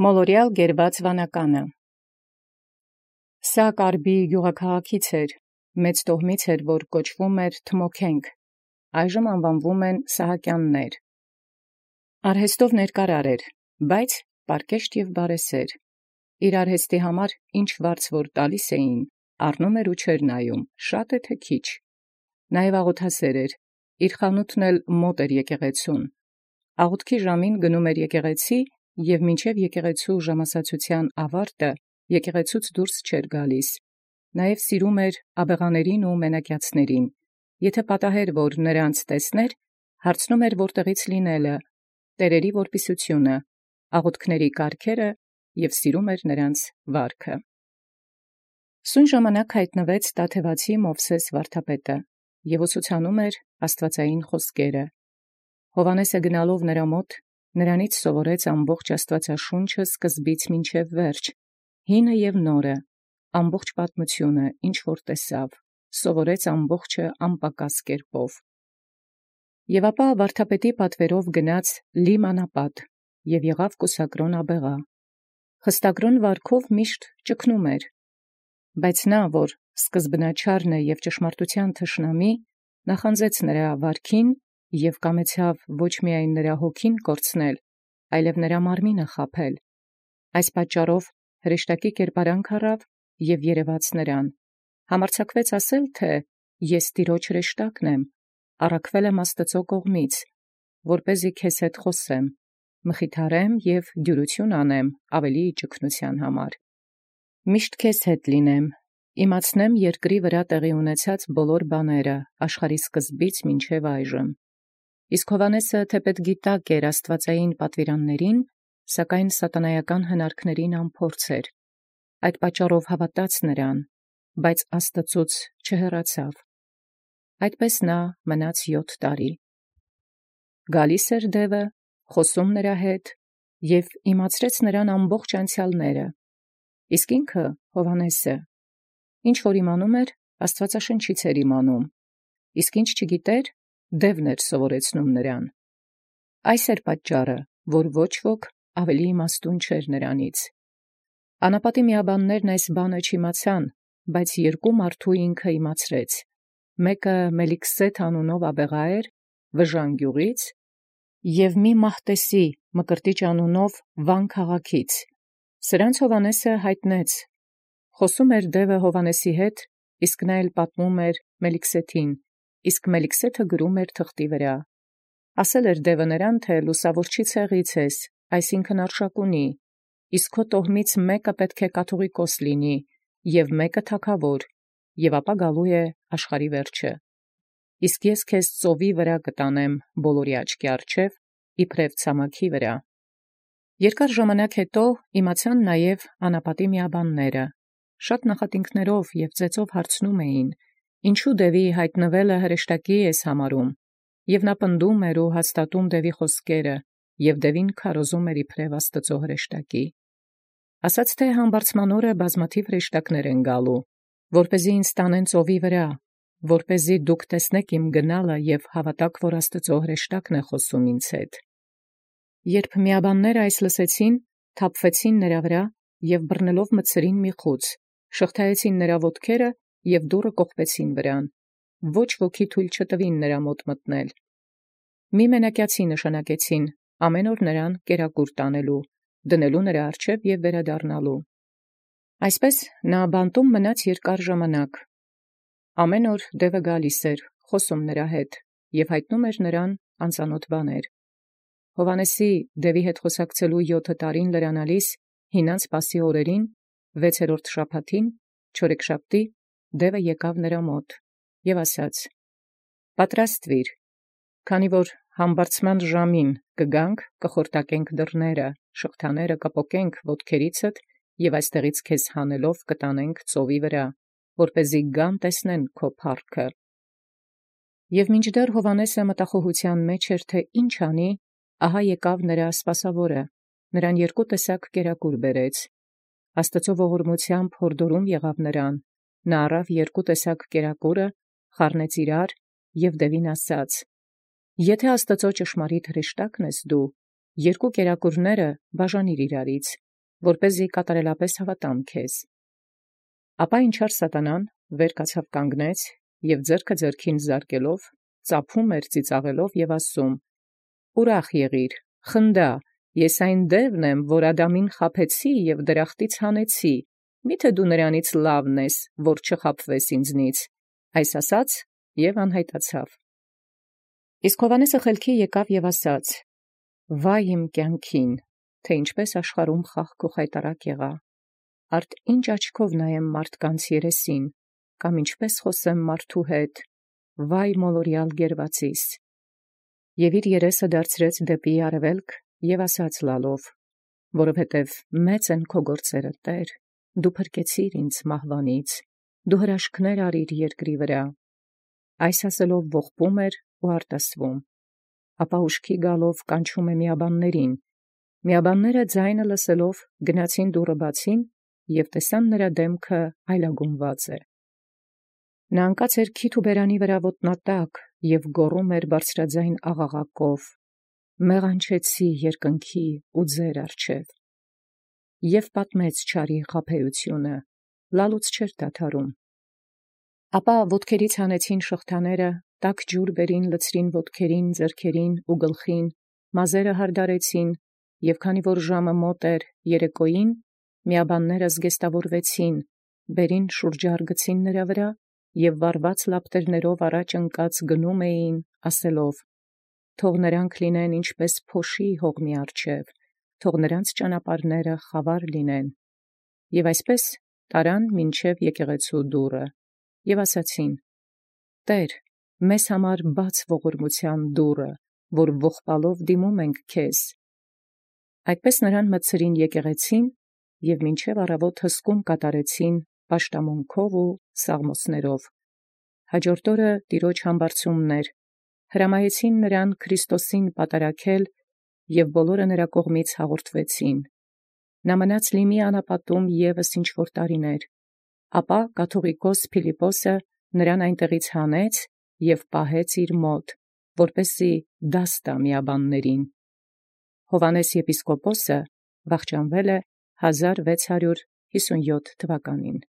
Մոլորյալ գերված վանականը։ Սա կարբի գյուղաքաղաքից էր, մեծ տոհմից էր, որ կոչվում էր Թմոքենք, այժմ անվանվում են Սահակյաններ։ Արհեստով ներկարար էր, բայց պարկեշտ և բարեսեր։ Իր արհեստի համար ինչ վարձ որ տալիս էին, առնում էր ու չէր նայում, շատ է թե քիչ։ Նաև աղոթասեր էր, իր խանութն էլ մոտ էր եկեղեցուն։ Աղոթքի ժամին գնում էր եկեղեցի և մինչև եկեղեցու ժամասացության ավարտը եկեղեցուց դուրս չէր գալիս։ Նաև սիրում էր աբեղաներին ու մենակյացներին։ Եթե պատահեր, որ նրանց տեսներ, հարցնում էր որտեղից լինելը, տերերի որպիսությունը, աղոթքների կարգերը և սիրում էր նրանց վարքը։ Սույն ժամանակ հայտնվեց տաթևացի Մովսես վարդապետը և ուսուցանում էր աստվածային խոսքերը։ Հովհաննեսը գնալով նրա մոտ, նրանից սովորեց ամբողջ աստվածաշունչը սկզբից մինչև վերջ, հինը և նորը, ամբողջ պատմությունը, ինչ որ տեսավ, սովորեց ամբողջը անպակաս կերպով։ Եւ ապա վարդապետի պատվերով գնաց Լիմանապատ և եղավ կուսակրոն աբեղա։ Խստակրոն վարքով միշտ ճգնում էր, բայց նա, որ սկզբնաչարն է և ճշմարտութեան թշնամի, նախանձեց նրա վարքին և կամեցավ ոչ միայն նրա հոգին կորցնել, այլև նրա մարմինը խաբել։ Այս պատճառով հրեշտակի կերպարանք առավ և երևաց նրան, համարձակվեց ասել, թե ես Տիրոջ հրեշտակն եմ, առաքվել եմ Աստուծոյ կողմից, որպեսզի քեզ հետ խոսեմ, մխիթարեմ և դյուրություն անեմ ավելի ճգնության համար։ Միշտ քեզ հետ լինեմ, իմացնեմ երկրի վրա տեղի ունեցած բոլոր բաները աշխարհի սկզբից մինչև այժմ։ Իսկ Հովհաննեսը թեպետ գիտակ էր աստվածային պատվիրաններին, սակայն սատանայական հնարքներին անփորձ էր։ Այդ պատճառով հավատաց նրան, բայց Աստծուց չհեռացավ։ Այդպես նա մնաց 7 տարի։ Գալիս էր դևը, խոսում նրա հետ և իմացրեց նրան ամբողջ անցյալները։ Իսկ ինքը Հովհաննեսը ինչ որ իմանում էր, Աստվածաշնչից էր իմանում, իսկ ինչ չգիտեր, դևն էր սովորեցնում նրան։ Այս էր պատճառը, որ ոչ ոք ավելի իմաստուն չէր նրանից։ Անապատի միաբաններն այս բանը չիմացան, բայց երկու մարդու ինքը իմացրեց. մեկը Մելիքսեթ անունով աբեղա էր, Վժան գյուղից, և մի Մահտեսի Մկրտիչ անունով Վան քաղաքից։ Սրանց Հովհաննեսը յայտնեց։ Խոսում էր դևը Հովհաննեսի հետ, իսկ նա էլ պատմում էր Մելիքսեթին, իսկ Մելիքսեթը գրում էր թղթի վրա։ Ասել էր դևը նրան, թե լուսավորչի ցեղից ես, այսինքն արշակունի, իսկ քո տոհմից մեկը պետք է կաթողիկոս լինի, և մեկը թագավոր, և ապա գալու է աշխարհի վերջը։ Իսկ ես քեզ ծովի վրա կտանեմ բոլորի աչքի առջև, իբրև ցամաքի վրա։ Երկար ժամանակ հետո իմացան նաև անապատի միաբանները, շատ նախատինքներով և ծեծով հարցնում էին, ինչու դևի հայտնվելը հրեշտակի ես համարում, և նա պնդում էր ու հաստատում դևի խոսքերը, և դևին քարոզում էր իբրև Աստծո հրեշտակի։ Ասաց թե համբարձման օրը բազմաթիվ հրեշտակներ են գալու, որպեսզի ինձ տանեն ծովի վրա, որպեսզի դուք տեսնեք իմ գնալը և հավատաք, որ Աստծո հրեշտակն է խոսում ինձ հետ։ Երբ միաբանները այս լսեցին, թափվեցին նրա վրա և բռնելով մտցրին մի խուծ, շղթայեցին նրա ոտքերը և դուռը կողպեցին վրան, ոչ ոքի թույլ չտվին նրա մոտ մտնել։ Մի մենակյացի նշանակեցին, ամեն օր նրան կերակուր տանելու, դնելու նրա առջև և վերադառնալու։ Այսպես նա բանտում մնաց երկար ժամանակ։ Ամեն օր դևը գալիս էր, խոսում նրա հետ և հայտնում էր նրան անծանոթ բաներ։ Հովհաննեսի դևի հետ խոսակցելու 7 տարին լրանալիս հինանց Պասի օրերին, 6-րդ շաբաթին, չորեքշաբթի, դևը եկավ նրա մոտ և ասաց. «Պատրաստվիր, քանի որ համբարձման ժամին կգանք, կխորտակենք դռները, շղթաները կպոկենք ոտքերիցդ և այստեղից քեզ հանելով կտանենք ծովի վրա, որպեսզի գան տեսնեն քո փառքը»։ Եվ մինչդեռ Հովհաննեսը մտախոհության մեջ էր, թե ինչ անի, ահա եկավ նրա սպասավորը, նրան 2 տեսակ կերակուր բերեց։ Աստծո ողորմությամբ յորդորում եղավ նրան, նա առավ 2 տեսակ կերակուրը, խառնեց իրար և դևին ասաց. «Եթե Աստծո ճշմարիտ հրեշտակն ես դու, 2 կերակուրները բաժանիր իրարից որպեսզի կատարելապես հավատամ քեզ։ Ապա ինչար Սատանան վեր կացավ կանգնեց և ձեռքը ձեռքին զարկելով ծափում էր ծիծաղելով և ասում. «Ուրախ եղիր, խնդա, ես այն դևն եմ, որ Ադամին խաբեցի և դրախտից հանեցի, միթե դու նրանից լավն ես, որ չխաբվես ինձնից»։ Այս ասաց և անհայտացավ։ Իսկ Հովհաննեսը խելքի եկավ և ասաց. «Վայ իմ կյանքին, թե ինչպես աշխարհում խաղք ու խայտառակ եղա, արդ ինչ աչքով նայեմ մարդկանց երեսին, կամ ինչպես խոսեմ մարդու հետ, վայ մոլորյալ գերվածիս»։ Եւ իր երեսը դարձրեց դեպի արևելք և ասաց լալով. «Որովհետև մեծ են քո գործերը, Տեառ, դու փրկեցիր ինձ մահվանից, դու հրաշքներ արիր երկրի վրա»։ Այս ասելով ողբում էր ու արտասվում։ Ապա ուշքի գալով կանչում է միաբաններին. միաբանները ձայնը լսելով գնացին դուռը բացին և տեսան նրա դեմքը այլագունված է։ Նա ընկած էր քիթ ու բերանի վրա ոտնատակ և գոռում էր բարձրաձայն աղաղակով. «Մեղանչեցի երկնքի ու ձեր առջև»։ Եւ պատմեց չարի խաբեությունը, լալուց չէր դադարում։ Ապա ոտքերից հանեցին շղթաները, տաք ջուր բերին լցրին ոտքերին, ձեռքերին ու գլխին, մազերը հարդարեցին, և քանի որ ժամը մոտ էր երեկոյին, միաբանները զգեստավորվեցին, բերին շուրջառ գցին նրա վրա և վառված լապտերներով առաջ ընկած գնում էին, ասելով. «Թող նրանք լինեն ինչպես փոշի հողմի առջև, թող նրանց ճանապարհները խավար լինեն»։ Եւ այսպես տարան մինչև եկեղեցու դուռը, և ասացին. «Տէր, մեզ համար բաց ողորմութեան դուռը, որ ողբալով դիմում ենք քեզ»։ Այդպես նրան մտցրին եկեղեցին և մինչև առավոտ հսկում կատարեցին պաշտամունքով ու սաղմոսներով։ Հաջորդ օրը տիրոջ համբարձումն էր, հրամայեցին նրան Քրիստոսին պատարագել, և բոլորը նրա կողմից հաղորդվեցին։ Նա մնաց Լիմի անապատում ևս ինչ որ տարիներ, ապա կաթուղիկոս Փիլիպպոսը նրան այնտեղից հանեց և պահեց իր մոտ, որպեսզի դաս տա միաբաններին։ Հովհաննես եպիսկոպոսը վախճանվել է 1657 թվականին։